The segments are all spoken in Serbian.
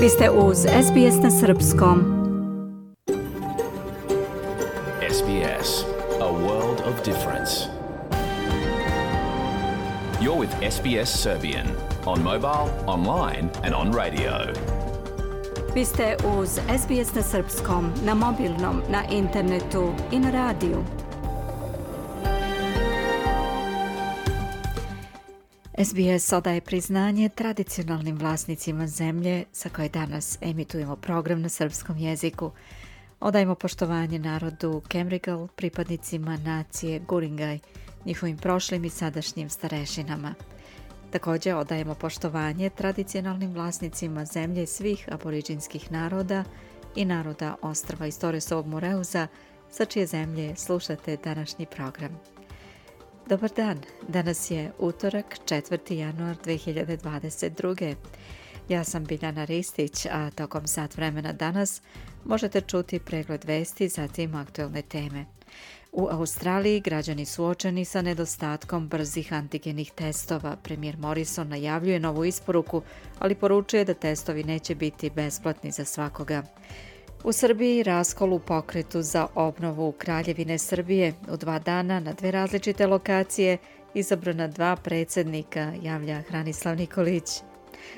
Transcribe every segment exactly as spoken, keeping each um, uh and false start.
Vi ste uz S B S na srpskom. S B S, a world of difference. You're with S B S Serbian on mobile, online and on radio. Vi ste uz S B S na srpskom, na mobilnom, na internetu i na radiju. S B S odaje priznanje tradicionalnim vlasnicima zemlje sa koje danas emitujemo program na srpskom jeziku. Odajemo poštovanje narodu Kemrigal, pripadnicima nacije Guringaj, njihovim prošlim i sadašnjim starešinama. Također odajemo poštovanje tradicionalnim vlasnicima zemlje svih aboriđinskih naroda i naroda ostrva iz Torresovog Moreuza, sa čije zemlje slušate današnji program. Dobar dan, danas je utorak, četvrti januar dve hiljade dvadeset druge. Ja sam Biljana Ristić, a tokom sat vremena danas možete čuti pregled vesti, zatim aktuelne teme. U Australiji građani suočeni sa nedostatkom brzih antigenih testova. Premijer Morrison najavljuje novu isporuku, ali poručuje da testovi neće biti besplatni za svakoga. U Srbiji raskol u pokretu za obnovu Kraljevine Srbije. U dva dana na dve različite lokacije izabrana dva predsjednika, javlja Hranislav Nikolić.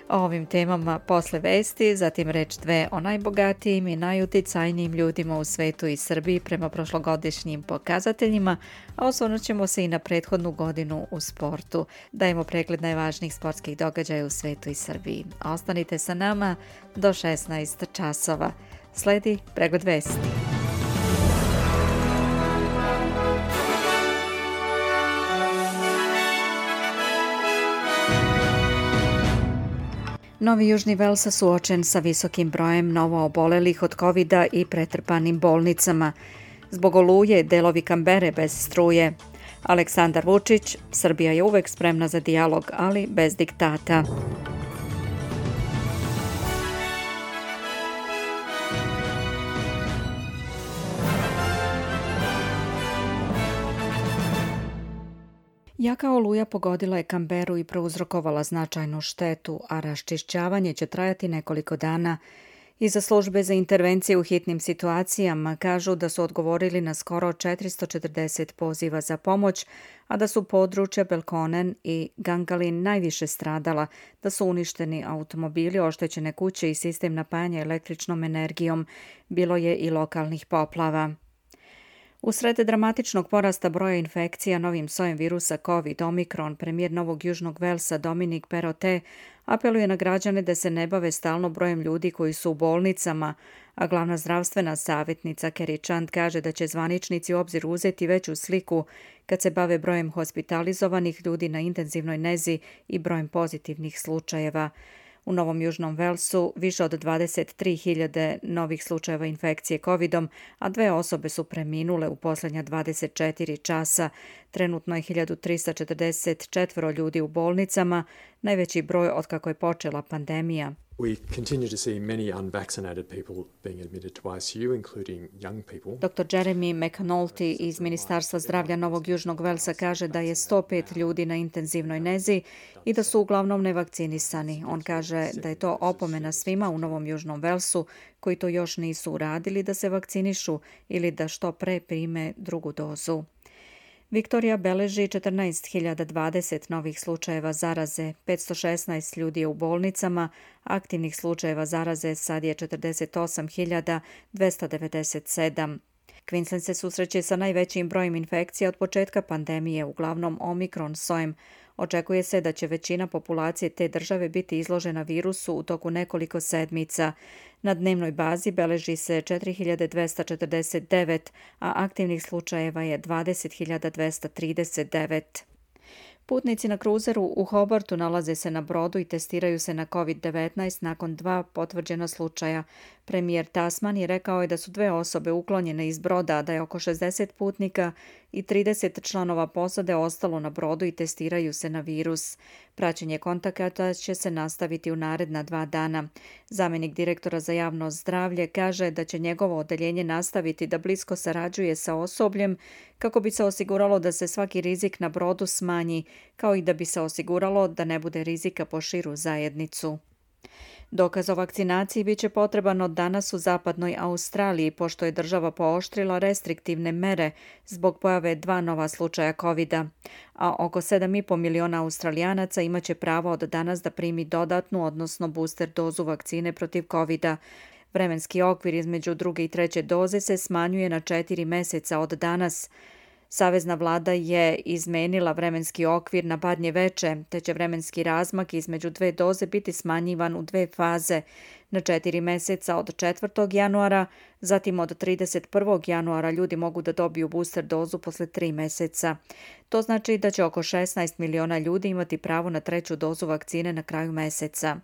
O ovim temama posle vesti, zatim reč dve o najbogatijim i najuticajnijim ljudima u svetu i Srbiji prema prošlogodišnjim pokazateljima, a osvrnut ćemo se i na prethodnu godinu u sportu. Dajemo pregled najvažnijih sportskih događaja u svetu i Srbiji. Ostanite sa nama do šesnaest časova. Sledi pregled vesti. Novi Južni Vels suočen sa visokim brojem novoobolelih od kovida i pretrpanim bolnicama. Zbog oluje delovi Kambere bez struje. Aleksandar Vučić, Srbija je uvek spremna za dijalog, ali bez diktata. Jaka oluja pogodila je Kamberu i prouzrokovala značajnu štetu, a raščišćavanje će trajati nekoliko dana. Iza službe za intervencije u hitnim situacijama kažu da su odgovorili na skoro četiristo četrdeset poziva za pomoć, a da su područja Belkonen i Gangalin najviše stradala, da su uništeni automobili, oštećene kuće i sistem napajanja električnom energijom. Bilo je i lokalnih poplava. Usred dramatičnog porasta broja infekcija novim sojem virusa COVID Omikron, premijer Novog Južnog Velsa Dominic Perrottet apeluje na građane da se ne bave stalno brojem ljudi koji su u bolnicama, a glavna zdravstvena savjetnica Kerry Chant kaže da će zvaničnici u obzir uzeti veću sliku kad se bave brojem hospitalizovanih ljudi na intenzivnoj nezi i brojem pozitivnih slučajeva. U Novom Južnom Velsu više od dvadeset tri hiljade novih slučajeva infekcije covidom, a dve osobe su preminule u posljednja dvadeset četiri časa. Trenutno je hiljadu trista četrdeset četiri ljudi u bolnicama, najveći broj od kako je počela pandemija. We continue to see many unvaccinated people being admitted to I C U, including young people. doktor Jeremy McAnulty iz Ministarstva zdravlja Novog Južnog Velsa kaže da je sto pet ljudi na intenzivnoj nezi i da su uglavnom nevakcinisani. On kaže da je to opomena svima u Novom Južnom Velsu koji to još nisu uradili da se vakcinišu ili da što pre prime drugu dozu. Viktorija beleži četrnaest hiljada dvadeset novih slučajeva zaraze, petsto šesnaest ljudi je u bolnicama, aktivnih slučajeva zaraze sad je četrdeset osam hiljada dvesta devedeset sedam. Queensland se susreće sa najvećim brojem infekcija od početka pandemije, uglavnom Omikron sojem. Očekuje se da će većina populacije te države biti izložena virusu u toku nekoliko sedmica. Na dnevnoj bazi beleži se četiri hiljade dvesta četrdeset devet, a aktivnih slučajeva je dvadeset hiljada dvesta trideset devet. Putnici na kruzeru u Hobartu nalaze se na brodu i testiraju se na covid devetnaest nakon dva potvrđena slučaja. Premijer Tasman je rekao je da su dve osobe uklonjene iz broda, da je oko šezdeset putnika i trideset članova posade ostalo na brodu i testiraju se na virus. Praćenje kontakata će se nastaviti u naredna dva dana. Zamenik direktora za javno zdravlje kaže da će njegovo odeljenje nastaviti da blisko sarađuje sa osobljem kako bi se osiguralo da se svaki rizik na brodu smanji, kao i da bi se osiguralo da ne bude rizika po širu zajednicu. Dokaz o vakcinaciji biće potreban od danas u zapadnoj Australiji, pošto je država pooštrila restriktivne mere zbog pojave dva nova slučaja kovida, a oko sedam i po miliona Australijanaca imaće pravo od danas da primi dodatnu, odnosno booster dozu vakcine protiv kovida. Vremenski okvir između druge i treće doze se smanjuje na četiri meseca od danas. Savezna vlada je izmenila vremenski okvir na badnje veče, te će vremenski razmak između dve doze biti smanjivan u dve faze, na četiri meseca od četvrtog januara, zatim od trideset prvog januara ljudi mogu da dobiju booster dozu posle tri meseca. To znači da će oko šesnaest miliona ljudi imati pravo na treću dozu vakcine na kraju meseca.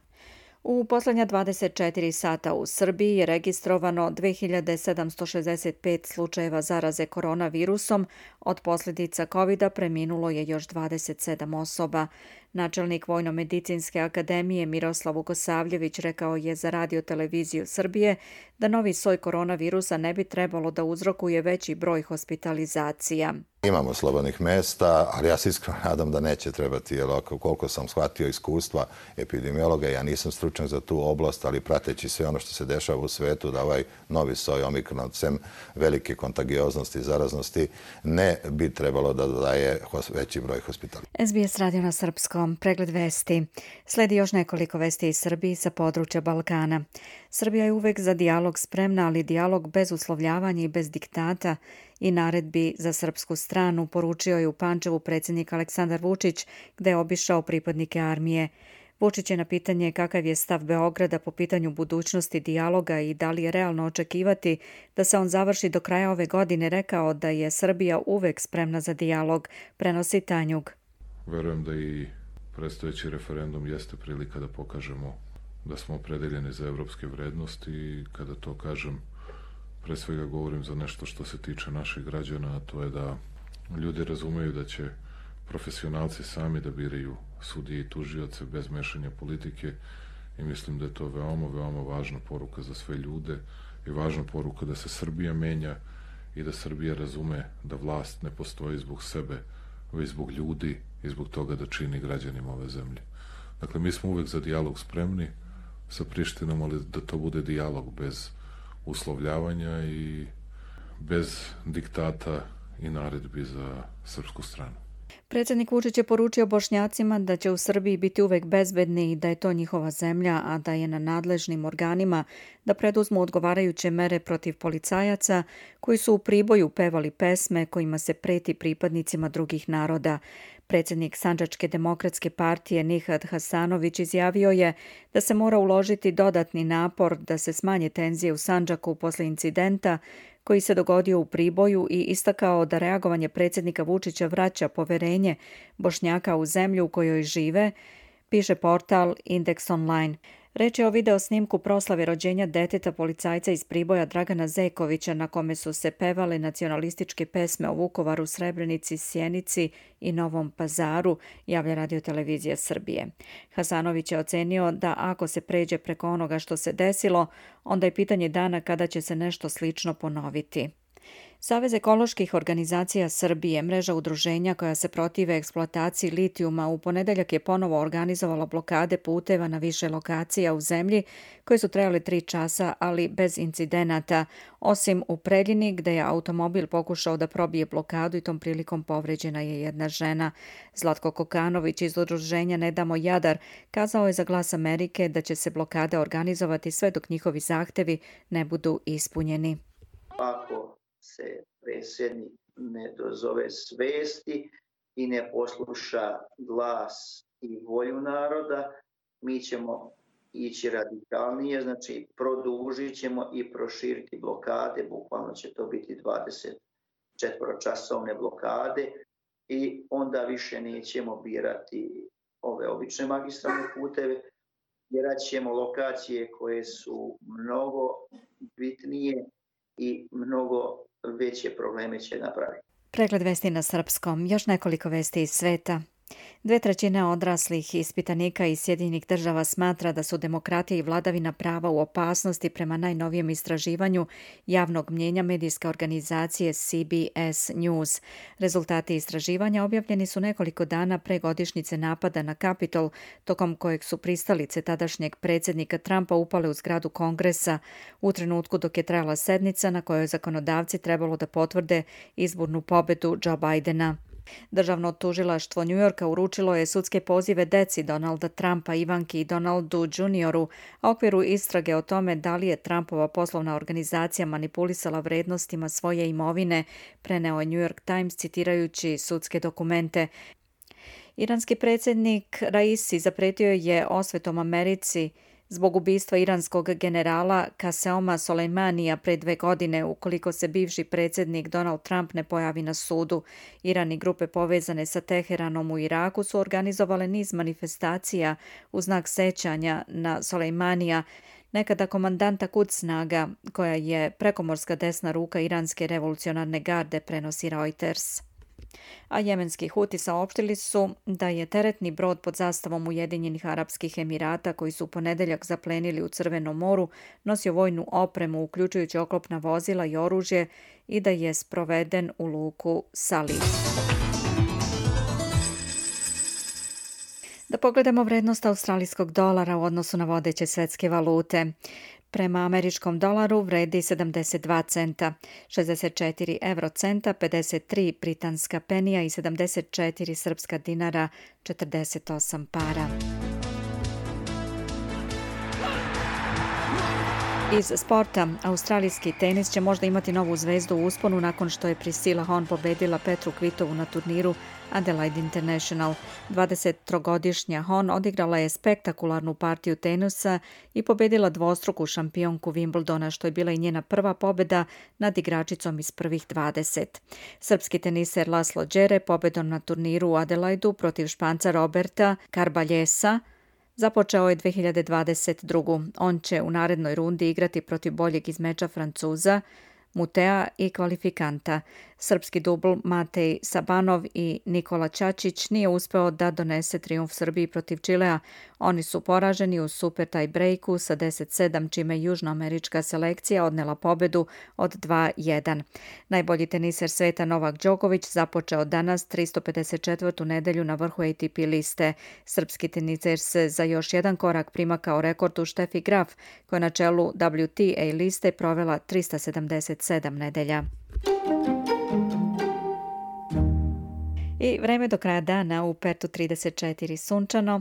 U poslednja dvadeset četiri sata u Srbiji je registrovano dve hiljade sedamsto šezdeset pet slučajeva zaraze koronavirusom, od posljedica kovida preminulo je još dvadeset sedam osoba. Načelnik Vojno-medicinske akademije Miroslav Vukosavljević rekao je za Radio televiziju Srbije da novi soj koronavirusa ne bi trebalo da uzrokuje veći broj hospitalizacija. Imamo slobodnih mesta, ali ja se iskreno nadam da neće trebati, jer koliko sam shvatio iskustva epidemiologa, ja nisam stručnjak za tu oblast, ali prateći sve ono što se dešava u svetu, da ovaj novi soj omikron, sem velike kontagioznosti i zaraznosti, ne bi trebalo da daje veći broj hospitalizacija. S B S radio na srpskom, pregled vesti. Sledi još nekoliko vesti iz Srbije sa područja Balkana. Srbija je uvek za dijalog spremna, ali dijalog bez uslovljavanja i bez diktata i naredbi za srpsku stranu, poručio je u Pančevu predsjednik Aleksandar Vučić, gde je obišao pripadnike armije. Vučić je na pitanje kakav je stav Beograda po pitanju budućnosti dijaloga i da li je realno očekivati da se on završi do kraja ove godine, rekao da je Srbija uvek spremna za dijalog, prenosi Tanjug. Verujem da i predstojeći referendum jeste prilika da pokažemo da smo opredeljeni za evropske vrednosti i kada to kažem, pre svega govorim za nešto što se tiče naših građana, a to je da ljudi razumeju da će profesionalci sami da biraju sudije i tužioce bez mešanja politike i mislim da je to veoma, veoma važna poruka za sve ljude i važna poruka da se Srbija menja i da Srbija razume da vlast ne postoji zbog sebe, već zbog ljudi i zbog toga da čini građanima ove zemlje. Dakle, mi smo uvek za dijalog spremni sa Prištinom, ali da to bude dijalog bez uslovljavanja i bez diktata i naredbi za srpsku stranu. Predsjednik Vučić je poručio Bošnjacima da će u Srbiji biti uvek bezbedni i da je to njihova zemlja, a da je na nadležnim organima da preduzmu odgovarajuće mere protiv policajaca koji su u Priboju pevali pesme kojima se preti pripadnicima drugih naroda. Predsjednik Sandžačke demokratske partije Nihad Hasanović izjavio je da se mora uložiti dodatni napor da se smanje tenzije u Sandžaku posle incidenta koji se dogodio u Priboju i istakao da reagovanje predsjednika Vučića vraća poverenje Bošnjaka u zemlju u kojoj žive, piše portal Indeks Online. Reč je o video snimku proslave rođenja deteta policajca iz Priboja Dragana Zekovića na kome su se pevale nacionalističke pesme o Vukovaru, Srebrenici, Sjenici i Novom Pazaru, javlja Radio televizija Srbije. Hasanović je ocenio da ako se pređe preko onoga što se desilo, onda je pitanje dana kada će se nešto slično ponoviti. Savez ekoloških organizacija Srbije, mreža udruženja koja se protive eksploataciji litijuma, u ponedeljak je ponovo organizovala blokade puteva na više lokacija u zemlji koje su trajale tri časa, ali bez incidenata, osim u Preljini gde je automobil pokušao da probije blokadu i tom prilikom povređena je jedna žena. Zlatko Kokanović iz udruženja Ne damo Jadar kazao je za Glas Amerike da će se blokade organizovati sve dok njihovi zahtevi ne budu ispunjeni. Ako se predsjednik ne dozove svesti i ne posluša glas i volju naroda, mi ćemo ići radikalnije, znači produžit ćemo i proširiti blokade, bukvalno će to biti dvadeset četveročasovne blokade i onda više nećemo birati ove obične magistralne puteve, birat ćemo lokacije koje su mnogo bitnije i mnogo veće probleme će napraviti. Pregled vesti na srpskom, još nekoliko vesti iz sveta. Dve trećine odraslih ispitanika iz Sjedinjenih država smatra da su demokratija i vladavina prava u opasnosti prema najnovijem istraživanju javnog mnjenja medijske organizacije C B S News. Rezultati istraživanja objavljeni su nekoliko dana pre godišnjice napada na Kapitol, tokom kojeg su pristalice tadašnjeg predsjednika Trumpa upale u zgradu Kongresa u trenutku dok je trajala sednica na kojoj zakonodavci trebalo da potvrde izbornu pobedu Joe Bidena. Državno tužilaštvo Njujorka uručilo je sudske pozive deci Donalda Trumpa, Ivanki i Donaldu Junioru, a u okviru istrage o tome da li je Trumpova poslovna organizacija manipulisala vrednostima svoje imovine, preneo je New York Times citirajući sudske dokumente. Iranski predsjednik Raisi zapretio je osvetom Americi zbog ubistva iranskog generala Kaseoma Soleimanija pre dve godine ukoliko se bivši predsjednik Donald Trump ne pojavi na sudu. Iran i grupe povezane sa Teheranom u Iraku su organizovale niz manifestacija u znak sećanja na Soleimanija, nekada komandanta Quds snaga, koja je prekomorska desna ruka iranske revolucionarne garde, prenosi Reuters. A jemenski Huti saopštili su da je teretni brod pod zastavom Ujedinjenih Arapskih Emirata, koji su u ponedeljak zaplenili u Crvenom moru, nosio vojnu opremu, uključujući oklopna vozila i oružje, i da je sproveden u luku Salih. Da pogledamo vrednost australijskog dolara u odnosu na vodeće svetske valute. Prema američkom dolaru vredi sedamdeset dva centa, šezdeset četiri evrocenta, pedeset tri britanska penija i sedamdeset četiri srpska dinara, četrdeset osam para. Iz sporta, australijski tenis će možda imati novu zvezdu u usponu nakon što je Priscilla Hon pobedila Petru Kvitovu na turniru Adelaide International. dvadesettrogodišnja Hon odigrala je spektakularnu partiju tenisa i pobedila dvostruku šampionku Wimbledona, što je bila i njena prva pobeda nad igračicom iz prvih dvadeset. Srpski teniser Laslo Đere pobedom na turniru u Adelaidu protiv Španca Roberta Carbaljesa započeo je dve hiljade dvadeset druge. On će u narednoj rundi igrati protiv boljeg izmeča Francuza Mutea i kvalifikanta. Srpski dubl Matej Sabanov i Nikola Ćačić nije uspeo da donese trijumf Srbiji protiv Čilea. Oni su poraženi u super tie breaku sa deset sedam, čime južnoamerička selekcija odnela pobedu od dva jedan. Najbolji teniser sveta Novak Đoković započeo danas tristo pedeset četvrtu nedelju na vrhu A T P liste. Srpski teniser se za još jedan korak primakao rekordu Štefi Graf, koja na čelu W T A liste provela trista sedamdeset sedam nedelja. I vreme do kraja dana: u Pertu trideset četiri sunčano,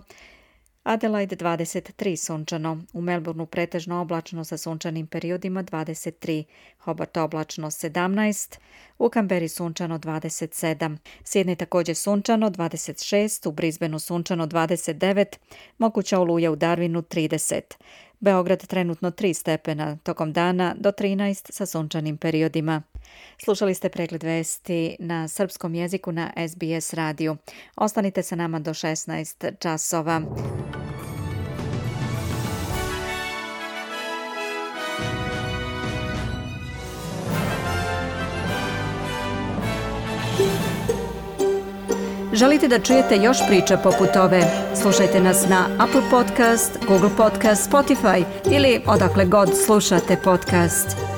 Adelaide dvadeset tri sunčano, u Melbourneu pretežno oblačno sa sunčanim periodima dvadeset tri, Hobart oblačno sedamnaest, u Kamberi sunčano dvadeset sedam, Sidney također sunčano dvadeset šest, u Brisbaneu sunčano dvadeset devet, moguća oluja u Darwinu trideset. Beograd trenutno tri stepena, tokom dana do trinaest sa sunčanim periodima. Slušali ste pregled vesti na srpskom jeziku na S B S radiju. Ostanite sa nama do šesnaest časova. Želite da čujete još priča poput ove? Slušajte nas na Apple Podcast, Google Podcast, Spotify ili odakle god slušate podcast.